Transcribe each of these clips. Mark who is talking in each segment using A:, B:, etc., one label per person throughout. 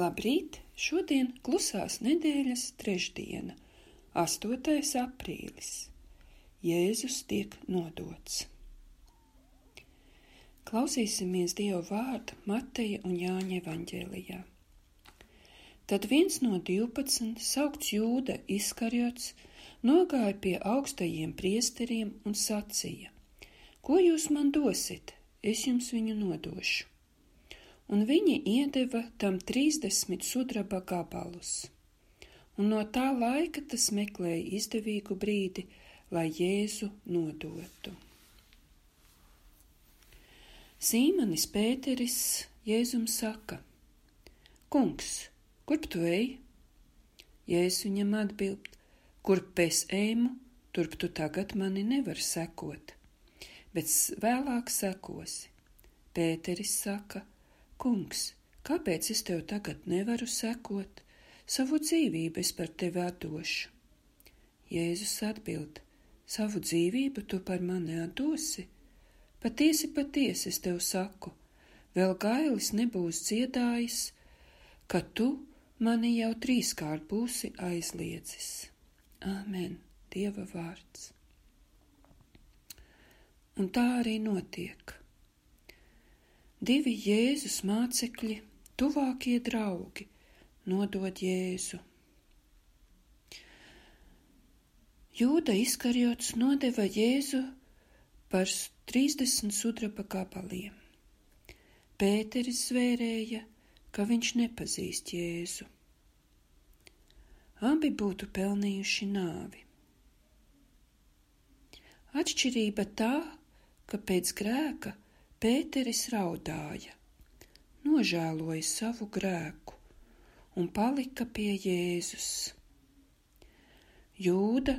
A: Labrīt! Šodien klusās nedēļas trešdiena, 8. aprīlis. Jēzus tiek nodots. Klausīsimies Dieva vārdu Mateja un Jāņa evaņģēlijā. Tad viens no 12, saukts Jūda Iskariots, nogāja pie augstajiem priesteriem un sacīja: Ko jūs man dosit? Es jums viņu nodošu. Un viņi iedeva tam 30 sudraba gabalus. Un no tā laika tas meklēja izdevīgu brīdi, lai Jēzu nodotu. Sīmanis Pēteris Jēzum saka: Kungs, kurp tu ej? Jēzus viņam atbild: Kurp es ejmu, turp tu tagad mani nevar sekot, bet vēlāk sekosi. Pēteris saka: Kungs, kāpēc es tev tagad nevaru sekot? Savu dzīvību es par tevi atdošu. Jēzus atbild: Savu dzīvību tu par mani atdosi? Patiesi, patiesi es tev saku, vēl gailis nebūs dziedājis, ka tu mani jau 3 būsi aizliedzis. Āmen, Dieva vārds. Un tā arī notiek. 2 Jēzus mācekļi, tuvākie draugi, nodod Jēzu. Jūda Iskariots nodeva Jēzu par 30 sudraba gabaliem. Pēteris zvērēja, ka viņš nepazīst Jēzu. Abi būtu pelnījuši nāvi. Atšķirība tā, ka pēc grēka Pēteris raudāja, nožēloja savu grēku un palika pie Jēzus. Jūda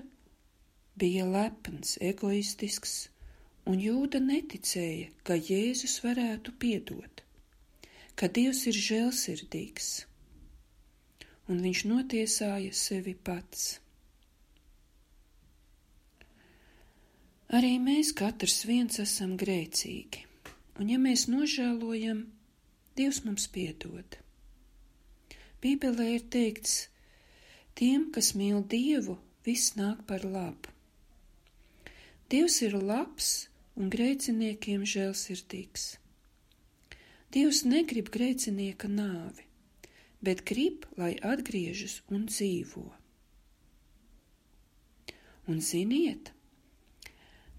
A: bija lepns, egoistisks, un Jūda neticēja, ka Jēzus varētu piedot, ka Dievs ir žēlsirdīgs, un viņš notiesāja sevi pats. Arī mēs katrs viens esam grēcīgi. Un ja mēs nožēlojam, Dievs mums piedod. Bībelē ir teikts: Tiem, kas mīl Dievu, viss nāk par labu. Dievs ir labs un grēciniekiem žēlsirdīgs. Dievs negrib grēcinieka nāvi, bet grib, lai atgriežas un dzīvo. Un ziniet,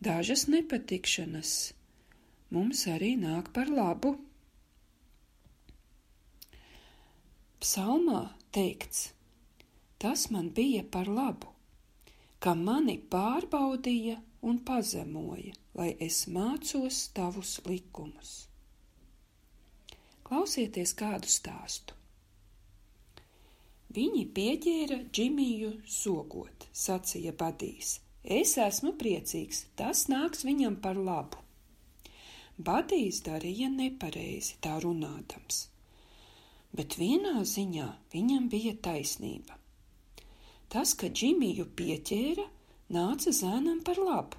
A: dažas nepatikšanas mums arī nāk par labu. Psalmā teikts: Tas man bija par labu, ka mani pārbaudīja un pazemoja, lai es mācos tavus likumus. Klausieties kādu stāstu. Viņi pieķēra Džimiju sogot, sacīja Badijs: Es esmu priecīgs, tas nāks viņam par labu. Badijs darīja nepareizi tā runādams, bet vienā ziņā viņam bija taisnība. Tas, ka Džimiju pieķēra, nāca zēnam par labu,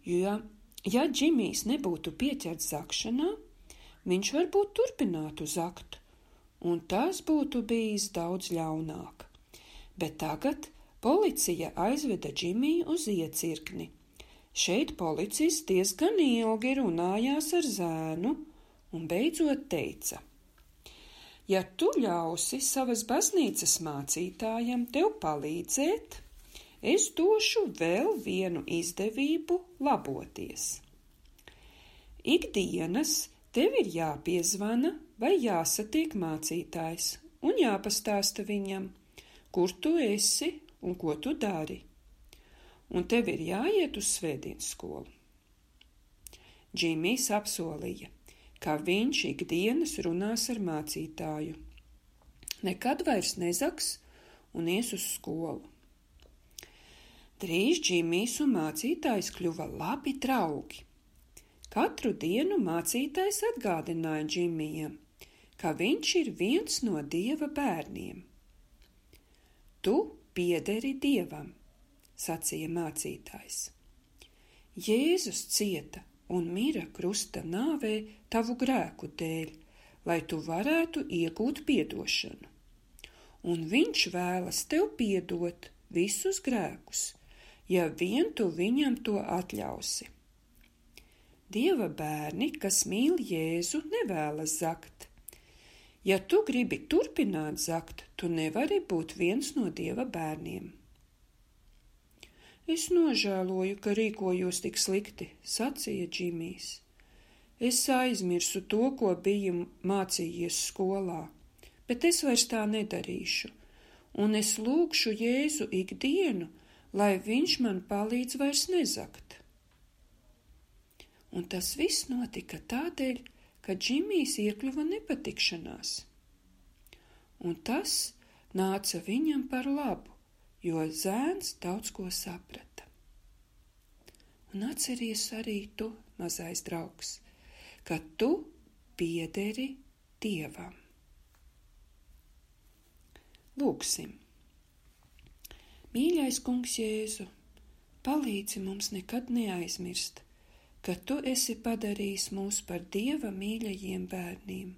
A: jo, ja Džimijs nebūtu pieķerts zakšanā, viņš varbūt turpinātu zakt, un tas būtu bijis daudz ļaunāk. Bet tagad policija aizveda Džimiju uz iecirkni. Šeit policists diezgan ilgi runājās ar zēnu un beidzot teica: Ja tu ļausi savas baznīcas mācītājam tev palīdzēt, es došu vēl vienu izdevību laboties. Ikdienas tev ir jāpiezvana vai jāsatiek mācītājs un jāpastāsta viņam, kur tu esi un ko tu dari. Un tev ir jāiet uz svētdienas skolu. Džimijs apsolīja, ka viņš ikdienas runās ar mācītāju, nekad vairs nezaks un ies uz skolu. Drīz Džimijs un mācītājs kļuva labi draugi. Katru dienu mācītājs atgādināja Džimijam, ka viņš ir viens no Dieva bērniem. Tu piederi Dievam, sacīja mācītājs. Jēzus cieta un mira krusta nāvē tavu grēku dēļ, lai tu varētu iegūt piedošanu. Un viņš vēlas tev piedot visus grēkus, ja vien tu viņam to atļausi. Dieva bērni, kas mīl Jēzu, nevēlas zakt. Ja tu gribi turpināt zakt, tu nevari būt viens no Dieva bērniem. Es nožēloju, ka rīkojos tik slikti, sacīja Džimijs. Es aizmirsu to, ko biju mācījies skolā, bet es vairs tā nedarīšu, un es lūgšu Jēzu ikdienu, lai viņš man palīdz vairs nezakt. Un tas viss notika tādēļ, ka Džimijs iekļuva nepatikšanās. Un tas nāca viņam par labu, jo zēns daudz ko saprata. Un atceries arī tu, mazais draugs, ka tu piederi Dievam. Lūksim. Mīļais Kungs Jēzu, palīdzi mums nekad neaizmirst, ka tu esi padarījis mūs par Dieva mīļajiem bērniem.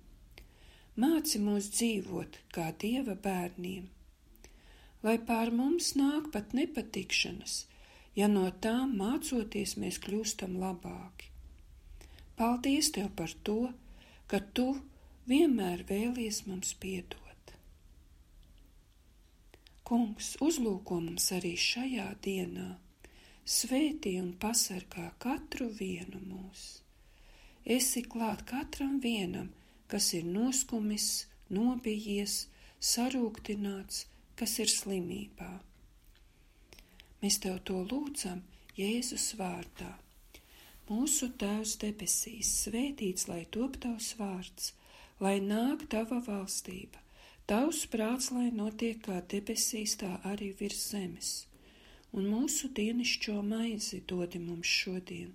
A: Māci mūs dzīvot kā Dieva bērniem, lai pār mums nāk pat nepatikšanas, ja no tām mācoties mēs kļūstam labāki. Paldies Tev par to, ka Tu vienmēr vēlies mums piedot. Kungs, uzlūko mums arī šajā dienā, svētī un pasargā katru vienu mūs. Esi klāt katram vienam, kas ir noskumis, nobijies, sarūktināts, kas ir slimībā. Mēs Tev to lūdzam Jēzus vārdā. Mūsu Tēvs debesīs, svētīts lai top Tavs vārds, lai nāk Tava valstība. Tavs prāts, lai notiek kā debesīs, tā arī virs zemes. Un mūsu dienišķo maizi dodi mums šodien,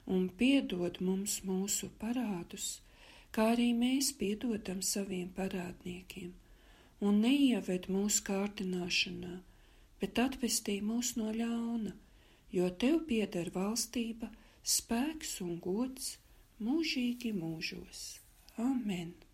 A: un piedod mums mūsu parādus, kā arī mēs piedodam saviem parādniekiem. Un neieved mūsu kārdināšanā, bet atvestī mūs no ļauna, jo Tev pieder valstība, spēks un gods mūžīgi mūžos. Amen!